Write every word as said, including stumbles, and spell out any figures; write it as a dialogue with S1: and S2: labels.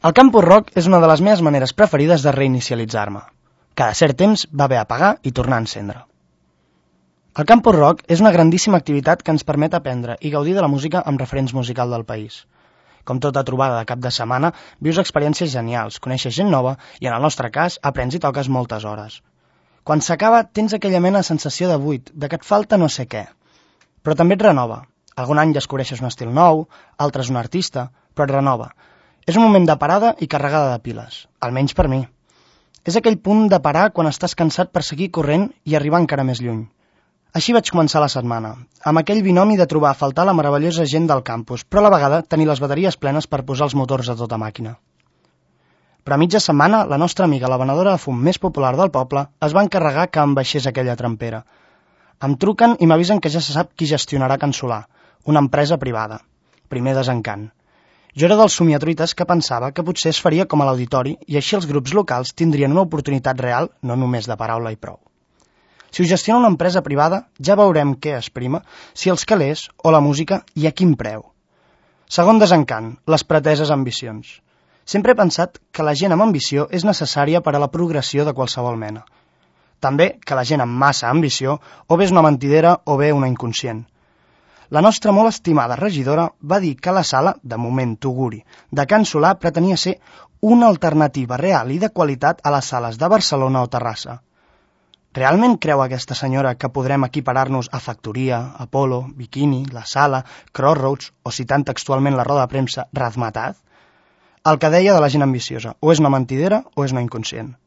S1: El Campus Rock és una de les meves maneres preferides de reinicialitzar-me. Cada cert temps va bé apagar i tornar a encendre. El Campus Rock és una grandíssima activitat que ens permet aprendre i gaudir de la música amb referents musical del país. Com tota trobada de cap de setmana, vius experiències genials, coneixes gent nova i, en el nostre cas, aprens i toques moltes hores. Quan s'acaba, tens aquella mena de sensació de buit, de que et falta no sé què. Però també et renova. Algun any descobreixes un estil nou, altres un artista, però et renova. És un moment de parada i carregada de piles, almenys per mi. És aquell punt de parar quan estàs cansat per seguir corrent i arribar encara més lluny. Així vaig començar la setmana, amb aquell binomi de trobar a faltar la meravellosa gent del campus, però a la vegada tenir les bateries plenes per posar els motors a tota màquina. Però a mitja setmana, la nostra amiga, la venedora de fum més popular del poble, es va encarregar que em baixés aquella trampera. Em truquen i m'avisen que ja se sap qui gestionarà Can Solà, una empresa privada. Primer desencant. Jo era dels somiatruites que pensava que potser es faria com a l'auditori i així els grups locals tindrien una oportunitat real, no només de paraula i prou. Si ho gestiona una empresa privada, ja veurem què es prima, si els calés o la música i a quin preu. Segon desencant, les preteses ambicions. Sempre he pensat que la gent amb ambició és necessària per a la progressió de qualsevol mena. També que la gent amb massa ambició o bé és una mentidera o bé una inconscient. La nostra molt estimada regidora va dir que la sala, de moment Tuguri, de Can Solà pretenia ser una alternativa real i de qualitat a les sales de Barcelona o Terrassa. Realment creu aquesta senyora que podrem equiparar-nos a Factoria, Apolo, Bikini, La Sala, Crossroads o, citant textualment la roda de premsa, Razmataz? El que deia de la gent ambiciosa, o és una mentidera o és una inconscient.